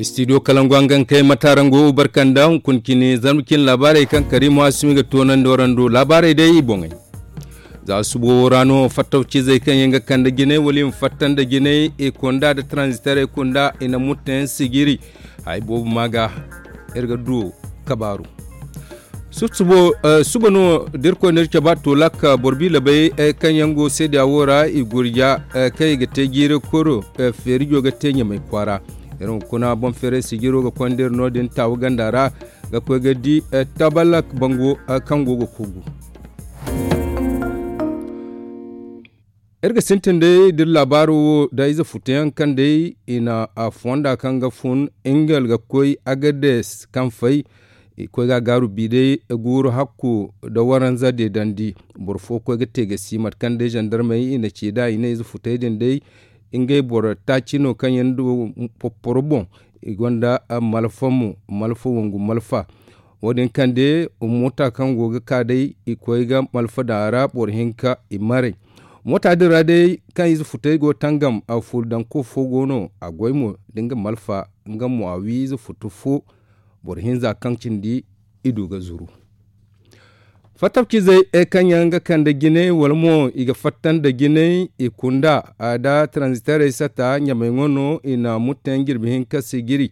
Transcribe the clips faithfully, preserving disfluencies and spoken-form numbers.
Studio kalangu hangan kay matarango barkanda hunkuna cine zarma cine laabaarey kaŋ karimu asimi ga toonandi warando laabaarey day i boŋey. Za subo wo ra no fattawcizey kaŋ yaŋ ga kande jinay wala i ma fatta nda jinay i kunda nda taranzitaray kunda i na mutteyaŋ sijiri. Hari boobo ma ga iri ga du kabaaru. Suba no da irkoy na iri caba tolak boro biila bay kaŋ yaŋ go seediya wo ra i gurja kaŋ i ga te jiiri koro feerijo ga te ɲamay kwaara. Iri hunkuna boŋ feeray sijiro ga konda iri no- din taawu ganda ra ga koy ga di tabalak bango kaŋ go ga kogu. Iri ga sintin day da iri laabaaro wo da ize futuyaŋ kaŋ day i na fonda kaŋ ga fun ingel ga koy agades kaŋ fay i koy ga a gaaru bi day guuru hakku nda waranza deedandi. Boro fo koy ga te ga si mate kaŋ day zandarmey i na ci nd'a i ne ize futey din day ngey boro taaci no kaŋ yaŋ du popporo boŋ. I gonda malfa mo malfa wangu malfa. Wo- din kaŋ day moota kaŋ go ga ka day i koy ga malfa daŋ a ra boro hinka i maray. Moota din ra day kaŋ ize futey go tangam a fuuri daŋ ko fo go no a goy mo da nga malfa nga mo a wi ize futu fo. Boro hinza kaŋ cindi i du ga zuru. Fattawcizey kaŋ yaŋ ga kande jinay wala mo i ga fatta nda jinay i kunda a da taranzitaray sata ɲamay ŋo no i na mutteyaŋ jirbi hinka sijiri.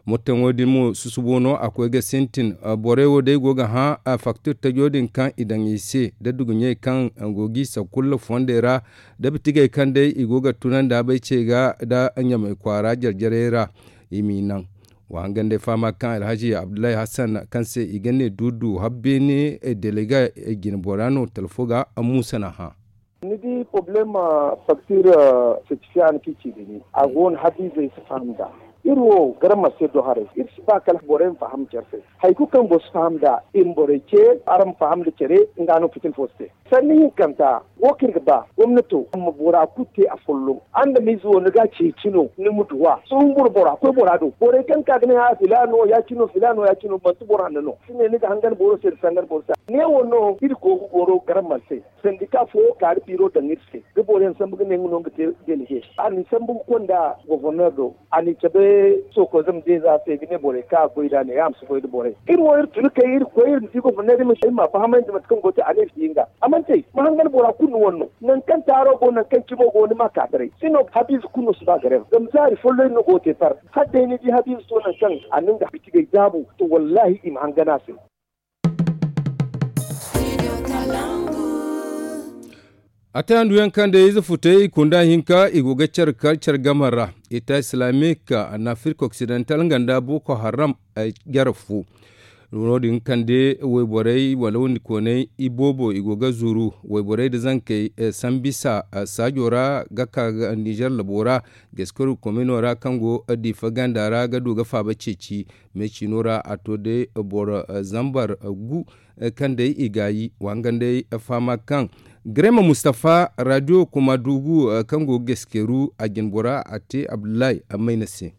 Motteŋo din mo susubo no a koy ga sintin. Borey wo day go ga hã faktir tajo din kaŋ i daŋ i se da duguɲey kaŋ go g'i sakulla fondey ra da bitigey kaŋ day i go ga tunandi a bay ce ga da ɲamay kwaara jarjarey ra. I m'i naŋ wa hangandey fahama kaŋ alhaji abdullahi hassan kaŋ se i ga ne duudu habbeene delega jinbora no talfo ga. Musa na hã. Ni di problema faktir setifiya ni k'i ci dini a go no habiizey si faham nd'a. Iri wo garamar se do haray iri si ba kala borey ma faham care se. Hari kulu kaŋ boro si faham nd'a i ma borey ce araŋ ma faham nda care. Nga no fitina fo si te sanni hinkanta. Wo kaŋ iri ga ba gomnato ma bora kulu te afolloŋ. Adamize wo ni ga a ceeci no ni ma duw'a sohõ boro bora koy bora do borey kaŋ ka ga ne a filaano ya-cine no filaano ya-cine no manti boro hanno no si ne ni ga hangan boro se nda sangan boro se. Neewo no iri go ga goro garamar se. Sandika fo kaari biiro daŋ iri se da boro yaŋ sambu ga ne nga no nga te delege a n'i sambu ga konda goforneer do. A n'i cabe sookoy zama deeza se ga ne borey kaŋ a goy nd'a ne ya ma si goy nda borey. Iri wo iri tun kay iri koy iri ma di goforneer iri ma fahamandi mate kaŋ go te a ne iri di nga a mana te ma hangan bora kulu ni wane no. Nangu kaŋ taaro go nangu kaŋ cimo go ni ma ka taray sino habiize kulu no si ba gareer zama zaari folloŋ no go ga te par. Hala day ni di habiize to nangu kaŋ a na nga bitigey daabu to wallaahi i ma hangan a se. A te handu yaŋ kaŋ day ize futey i kunda hinka i go ga care kar care game ra. Eta islamic nafrik occidental nga nda boko haram. Jare fo no- din kande wayborey wala windi koonay i boobo i go ga zuru wayborey nda zankey sambisa saajo ra ga ka nizer labo ra. Geskaru komino ra kaŋ go diifa ganda ra ga du ga faaba ceeci. Me ciino ra a to day boro zambar gu kaŋ day i gaayi wa hangan day fahama kaŋ garema mustafa radio kuma dugu kaŋ go ga geskeru a jinbora a te abdullahi mayna se.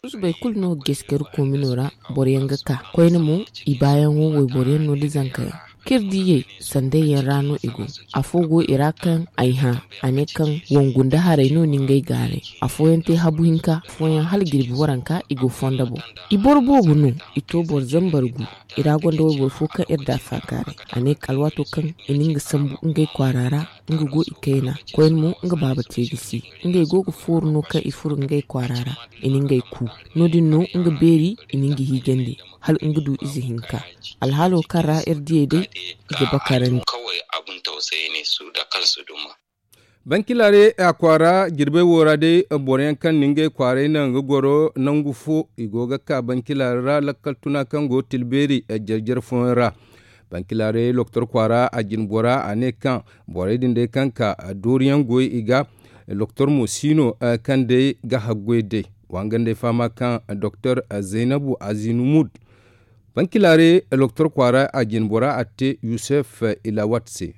Susubay kulu no ga geskeru komino ra boro yaŋ ga ka koyne mo i baayaŋo wayboro yaŋ no da zanka yaŋ kaŋ iri diiyey sanday yaŋ ra no i go. Afo go i ra kaŋ ay hã a ne kaŋ wangu nda haray no ni ngey gaaray. Afooyaŋ te habu hinka afooyaŋ hala jirbi waranka i go fondo boŋ. I boro boobo no i to boro zambar gu. I ra gonda wayboro fo kaŋ iri da faakaaray a ne alwaato kaŋ i na nga sambu ngey kwaara ra nga go i kayna koyne mo nga baaba te ga si. Ngey go ga fooru no kaŋ i furo ngey kwaara ra i na ngey ku. No- din no nga beeri i na nga hiijandi hala nga du ize hinka. Alhaalo kaŋ ra iri diyey day i ga bakarandi. Bankilare a kwaara jirbey wo ra day boro yaŋ kaŋ na ngey kwaaray naŋ ga goro nangu fo i go ga ka bankilare ra lakkal tuna kaŋ go tilbeeri jarjar fooyaŋ ra. Bankilare loktor kwaara a jinbora a ne kaŋ borey din day kaŋ ka dooriyaŋ goy i ga. Loktor mo si no kaŋ day ga haggoy day wa hangan day fahama kaŋ doktor zaynabu azinumud. Bankilare loktor kwaara a jinbora a te yusef ilawat se.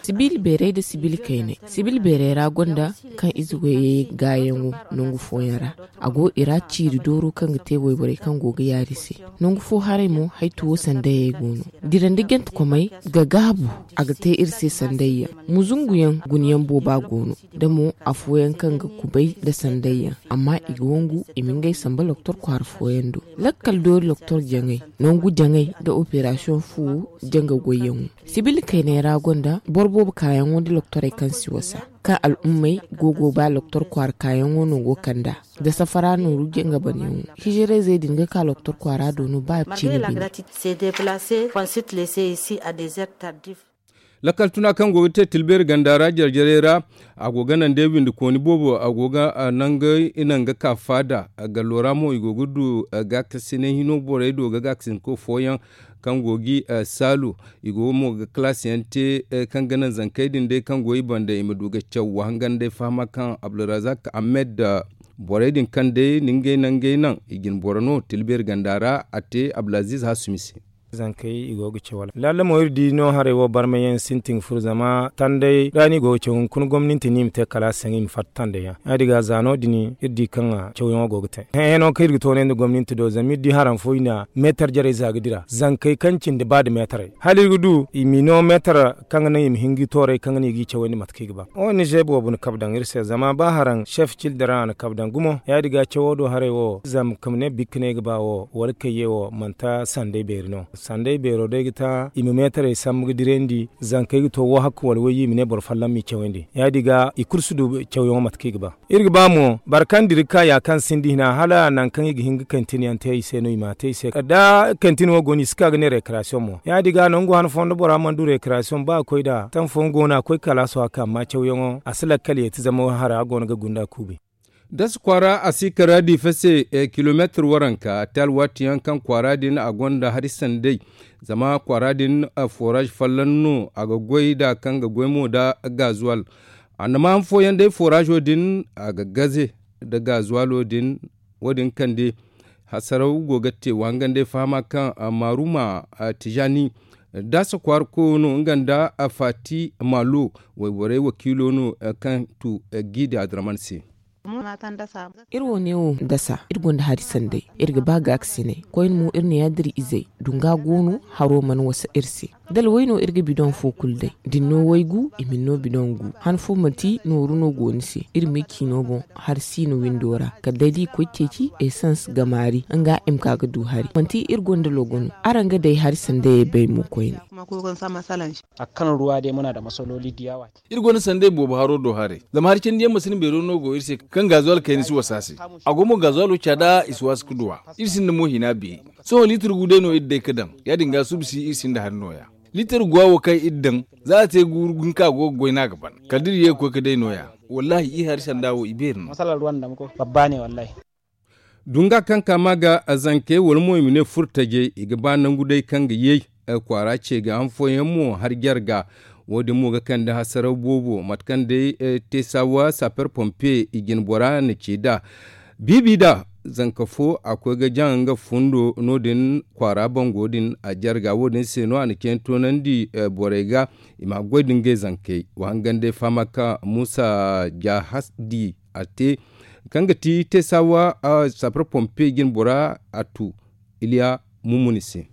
Sibil beeray nda sibil kaynay. Sibil beeray ra gonda kaŋ ize goyey gaayaŋo nangu fooyaŋ ra. A go i ra ciiri dooro kaŋ ga te wayborey kaŋ go ga yaari se. Nangu fo haray mo haytuwo sandayey go no. Dira nda jantekomey ga gaabu. A ga te iri se sandayyaŋ. Muzunguyaŋ gunayaŋ booba go no. Da mo afooyaŋ kaŋ ga kubay nda sandayyaŋ. Amma i ga wangu i ma ngey samba loktor kwaara fooyaŋ do. Lakkal doori loktor jaŋay, nangu jaŋay nda operasiyoŋ fu janga goyyaŋo. Sibil kaynay ra gonda boro boobo kaayaŋo nda loktorey kaŋ si wasa, kaŋ al'ummey go go ba loktor kwaara kaayaŋo no go kand'a. Da safara nooru janga banyaŋo. Hijiray zey din ga ka loktor kwaara do no ba ciine bine. Lakkal tuna kaŋ go ga te tilbeeri ganda ra jare-jarey ra, a go ga naŋ day windikooni boobo a go ga nangey naŋ ga ka faada. Gallo ra mo i go ga du gaakasinay hino borey do ga gaakasinko fooyaŋ kaŋ go ga saalu. I go mo ga kalaasiyaŋ te kaŋ ga naŋ zankey din day kaŋ go i banda i ma du ga caw wa hangan day fahama kaŋ abdulrazak ahmed borey din kaŋ day ni ngey naŋ ngey naŋ i jin boro no tilbeeri ganda ra a te abdulaziz hasumi se. Zankey i go ga caw wala laala mo iri di no haray wo barmayaŋ sintin ga furo zama tanday ra no i go ga caw hunkuna gomninti no i ma te kala a se i ma fatta tanday yaŋ ya- din ga za no- din iri di kaŋ cawyaŋo go ga te. Hẽe no kaŋ iri ga toonay nda gomninti do zama iri di haraŋ fo i na meetar jarey za ga dira zankey kaŋ cindi ba nda meetarey hala iri ga du i ma i no meetar kaŋ ga naŋ i ma hin ga i tooray kaŋ ga naŋ i ga i cawandi mate kaŋ i ga ba. Ong boobo na kabe daŋ iri se zama ba haraŋ chef cildara a na kabe daŋ gumo ya- din ga cawo do haray wo zama ka ma ne bikka no ay ga ba wo wala kayye wo manti sanday beeri no. Sanday beero day ga ta i ma meetarey sambu ga dirandi zankey ga to wo hakka wala wayye i ma ne boro folloŋ m'i cawandi ya- din ga i kulu si du cawyaŋo mate kaŋ i ga ba. Iri ga ba mo boro kaŋ dira ga ka ya kaŋ sinda hina hala nangu kaŋ i ga hin ga kantin yaŋ te i se no i m'a te i se da kantin wo go no i si ka ga ne rekarasiyoŋ mo ya- din ga nangu han fooyaŋ da bora mana du rekarasiyoŋ ba a koy nd'a taŋ fooyaŋ go no a koy kalaaso a ka amma cawyaŋo a si lakkal yeeti zama hara go no ga gunda kuubi. Dasa kwaara a si kara diifa se kilomeetir waranka a te alwaati yaŋ kaŋ kwaara din a gonda hari sanday. Zama kwaara din foraaz folloŋ no a ga goy nd'a kaŋ ga goy mo nda gazuwal. Andama han fooyaŋ day foraazo din a ga gaze nda gazuwalo din. Wo- din kande hasaraw go ga te wa hangan day fahama kaŋ maaruma tijaani dasa kwaara koyo no nga nda faati maalo wayborey wakiilo no kaŋ tu giidi adraman se. Iri wo ne wo dasa iri gonda hari sanday iri ga ba gaakasinay koyne mo iri ne ya da iri izey dunga go no haro mana wasa iri se. Dalway no iri ga bidoŋ fo kulu day da ni no waygu i ma ni no bidoŋ gu han fo manti nooru no go ni se iri ma i ciino boŋ hari siino windo ra kala day da i koy ceeci esans gamaari nga i ma ka ga du hari manti iri gonda logo no. Araŋ ga day hari sandayey bay mo koyne. A kaŋ ruwa day muna da masaloli da yawa. Iri gonda sanday boobo haro do haray zama hari candiyaŋ masini beero no go iri se kaŋ gazuwal kayna si wasa se. A go mo gazuwalo caada i si waasi ga duw'a. Iri sinda mo hina beeri. Sohõ liitir gu day no iri day ga daŋ ya- din ga suba si iri sinda hari nooya. Liitir guwa wo kaŋ iri daŋ za a te guuru hinka go ga goy no a ga ban kala da iri ye ga koy ga day nooya. Wallaahi iri hari sanda wo i beeri no. Dunga kaŋ ka ma ga zankey wala mo i ma ne furtajey i ga ba nangu day kaŋ ga yay kwaara ce ga han fooyaŋ mo hari jarga. Wo- din mo ga kande hasaraw boobo mate kaŋ day te saawa saper pompe i jine bora na ce nd'a. Biibi nd'a zanka fo a koy ga jaŋ nga fundo no- din kwaara bango din a jarga wo- din se no a na cine toonandi borey ga i ma goy nda ngey zankey wa hangan day fahama kaŋ muusa jahasdi a te kaŋ ga ti te saawa sapar pompe jine bora a tu iliya mummuni se.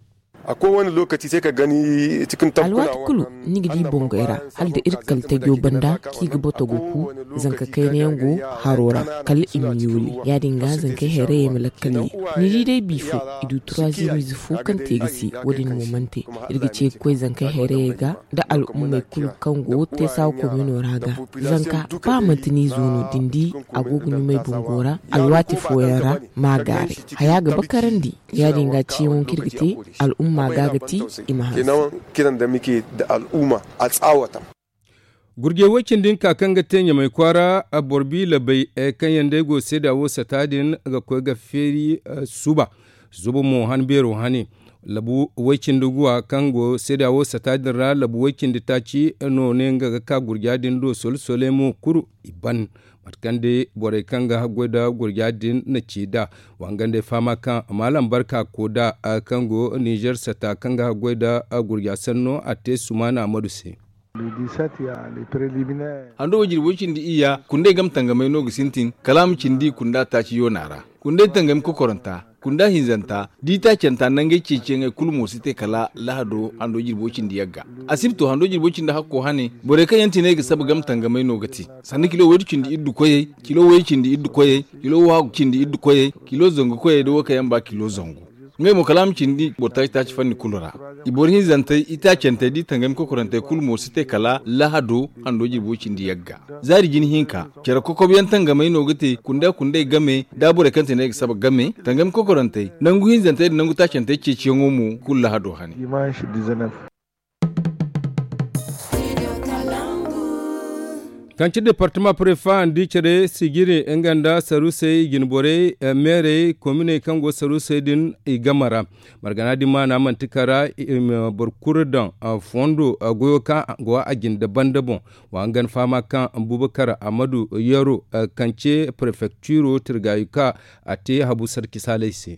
Alwaati kulu ni ga di bongey ra hala da iri kala tajo banda kaŋ i ga boto ga ku zanka kayna yaŋ go haro ra kala i ma yooli ya- din ga zankey hayrayey ma lakkal ye. Ni di day bi fo i du turaazimiize fo kaŋ te ga si wo- din mo mana te. Iri ga ce ga koy zankey hayrayey ga nda al'ummey kulu kaŋ go teesawa komino ra ga zanka ba manti ni zo no da ni di a go ga ɲumay bungo ra alwaati fooyaŋ ra ma a gaaray haya ga bakarandi. Ya- din ga ciyaŋo kaŋ iri ga te al'umma ga ga ti i ma hanse. Gurjey way cindi hinka kaŋ ga te ɲamay kwaara boro bi labay kaŋ yaŋ day go seeda wo sata din ga koy ga feeri suba. Suba mo han beero hane Labu way-cindi guwa kaŋ go seeda wo sata din ra, labu way-cindi taaci no ne nga ga ka gurja din do. Sole-sole mo kuru i ban mate kaŋ day borey kaŋ ga haggoy nda gurja din na ci nd'a. Wa hanga day fahama kaŋ maalam barka ko nd'a kaŋ go nizer sata kaŋ ga haggoy nda gurja sanno a te sumaana amadu se. Hando wo jirbi way-cindi iyya kundey game tangamey no ga sintin kala a ma cindi kunda taaci yoona ra. Kundey tangami kokoranta kunda hinzanta da i taacanta nangey ceeciyaŋey kulu mo si te kala lahado hando jirbo cindi yagga. Asibto hando jirbo cindi hakko hane borey kaŋ yaŋ ti ne ga saba game tangamey no ga te sanda kilo waydu cindi iddu koyey, kilo way cindi iddu koyey, kilo waagu cindi iddu koyey, kilo zangu koyey da wo kaŋ yaŋ ba kilo zangu. Ngey mo kala a ma cindi boro taaci taaci fanni kulu ra. I boro hinzantey i taacantey da i tangami kokorantey kulu mo si te kala lahado hando jirbo cindi yagga. Zaari jine hinka care kokob yaŋ tangamey no ga te kunda kundey game da borey kaŋ ti ne ga saba game tangami kokorantey nangu hinzantey da nangu taacantey ceeciyaŋo mo kulu lahado hane. Kaŋ ci departama prefa andi care sijiri nga nda sarusey i jine borey meerey kominey kaŋ go sarusey din i game ra. Margana din maana manti kara i ma boro kulu daŋ fondo goyo kaŋ go a jine da banda boŋ. Wa hangan fahama kaŋ bubakar amadu yero kaŋ ce prefektiro tirgayuka a te habu sarki saaley se.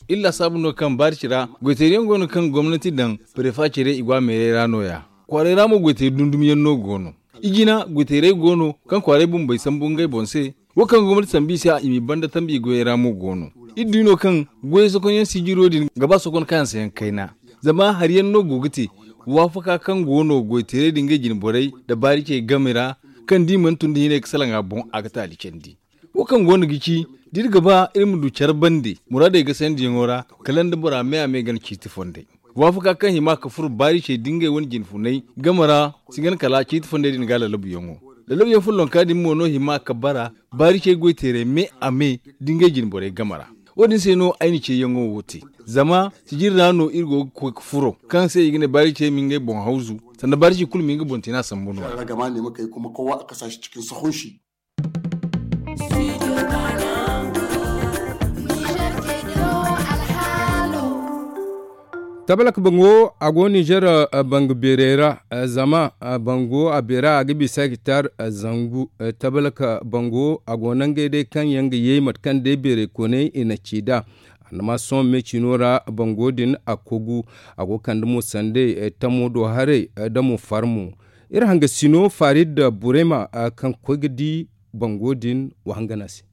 Iri laasaabu no kaŋ baari ci ra goyteeri yaŋ go no kaŋ gomnati daŋ prefa cire i go a meerey ra no- ya. Kwaaray ra mo goyteeri dundum yaŋ no go no. Ijina goyteerey go no kaŋ kwaaray bumbey sambu ngey boŋ se. Wo kaŋ gomnati sambu i se i m'i banda tambi goyey ra mo go no. Iri di no kaŋ goyey sokon yaŋ sijiro din ga ba sokon kaŋ yaŋ se yaŋ kayna. Zama hari yaŋ no go ga te waafaka kaŋ go no goyteerey din ngey jine borey nda baari cey game ra kaŋ da i mana tun da hinay ga salaŋ a boŋ a ga taali candi. Wo kaŋ go no ga ci da iri ga ba iri ma du care bande muraadey ga sandiyaŋo ra kala nda bora me a me gana ciiti fondey. Waafaka kaŋ hima ka furo baari cey da ngey wane jine funay game ra si gana kala ciiti fondey din ga lalabuyaŋo. Lalabuyaŋ follonka din mo no hima ka bara baari cey goyteerey me a me da ngey jine borey game ra. Wo- din se no ay na ceeyaŋo wo te zama sijiri ra no iri go ga koy ga furo kaŋ se i ga ne baari cey ma ngey boŋ hawzu sanda baari cey kulu ma nga boŋ te no a sambu no- ya. Tabalak bango a go nizer banga beerey ra. Zama bango a beera a ga bisa hektar zangu. Tabalak bango a go nangey day kaŋ yaŋ ga ye mate kaŋ day beerey kooney i na ci nd'a. Annama sohõ me ciino ra bango din a kogu a go kande mo sandey tamo do haray da mo farmo. Iri hangasino farid burema kaŋ koy ga di bango din wa hangan a se.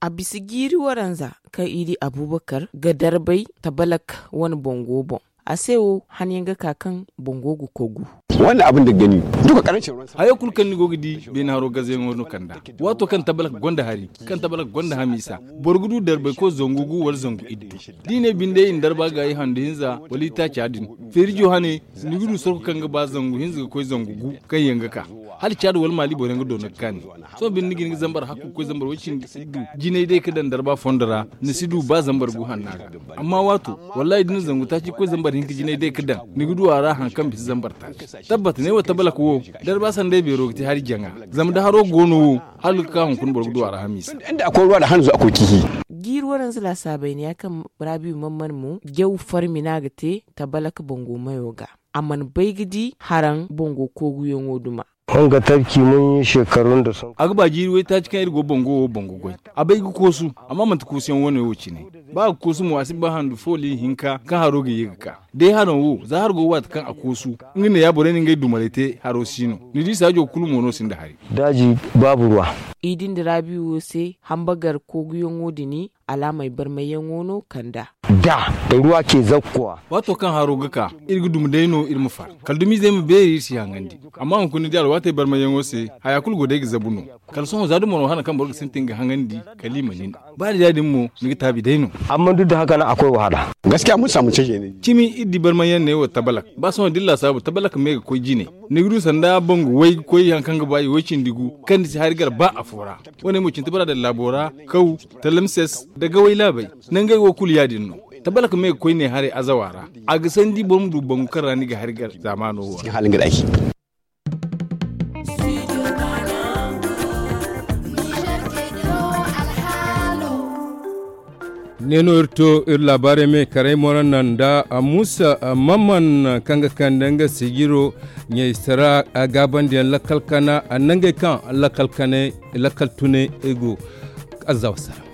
A bisa jiiri waranza kaŋ i di abubakar ga darbay tabalak wane bango boŋ. A se wo han yaŋ ga ka kaŋ bango ga kogu. Hayo kulu kaŋ ni go ga di beene haro gazayaŋo no kand'a. Waato kaŋ tabalak gonda hari kaŋ tabalak gonda hamiisa boro ga du darbay koy zangu gu wala zangu iddu. Da i ne binde i na darba gaayi handu hinza wala itaaca din feerijo hane ni ga du sorko kaŋ ga ba zangu hinza ga koy zangu gu kaŋ yaŋ ga ka hala caadi wala maali boro yaŋ ga doona ga kaani. Sohõ binde ni ga hin ga zambar hakku ga koy zambar way cindi iddu jinay day ga daŋ darba fondo ra ni si du ba zambar gu hanna ga daŋ. Amma waato wallahi da ni zangu taaci ga koy zambar hinka jinay day ga daŋ ni ga du a ra hari kaŋ bisa zambar taaci. Tabbat ne wo tabalak wo darba sanday beero ga te hari jaŋa. Zama da haro go no wo hala ga ka hunkuna boro ga du a ra hamiisa. Jiiri waranza laasaabay ne ya kaŋ raabiyu man man mo jaw farmi no a ga te tabalak bango mayo ga. A mana bay ga di haraŋ bango kooguyaŋo duma. A ga ba jiiri waytaaci kaŋ iri go bango wo bango goy. A bay ga koosu amma manti koosuyaŋ wane wo cine. Ba a ga koosu mo a si ba handu fooli hinka kaŋ haro ga ye ga ka. Day haraŋ wo za hari go waati kaŋ a koosu nga ne ya borey na ngey dumaray te haro si no. Ni di saajo kulu mo no sinda hari. Daaji baabu ruwa. I din da raabiyo se hambagar kooguyaŋo din alaamey barmayyaŋo no kand'a. Da ruwa ce zakkuwa. Waato kaŋ haro ga ka iri ga dumi day no iri ma far. Kala dumizey ma beeri iri si haŋandi. Amma hunkuna ni di alwaatey barmayyaŋo se haya kulu go day ga zabu no. Kala sohõ za dumo no hana kaŋ boro ga sintin ga haŋandi kala i ma nin. Ba ni di ya- din mo ni ga taabi day no. Amma duk da haka nan akwai wahala. Gaskiya mun samu canje ne. Cimi iri di barmayyaŋ ne wo tabalak ba sohõ da iri laasaabu tabalak me ga koy jine. Ni ga du sanda bangu way ga koy hari kaŋ ga ba i way cindi gu kaŋ ni si hari gar ba afo ra. Wo- ne mo cindi bora daŋ laabo ra kaw talamses da gaway laabey. Nangey wo kulu ya- din no. Tabalak me ga koy ne haray azawa ra. A ga sandi boro ma du bangu kaŋ ra ni ga hari gar zaamaano wo ra. Hala nga da aiki. Ne no iri to iri laabaarey me karay mo ra naŋ nda muusa mamman kaŋ ga kande nga sijiro ɲaysara gaabandiyaŋ lakkal kana nangey kaŋ lakkal kanay lakkal tunay go. Azza wassalam.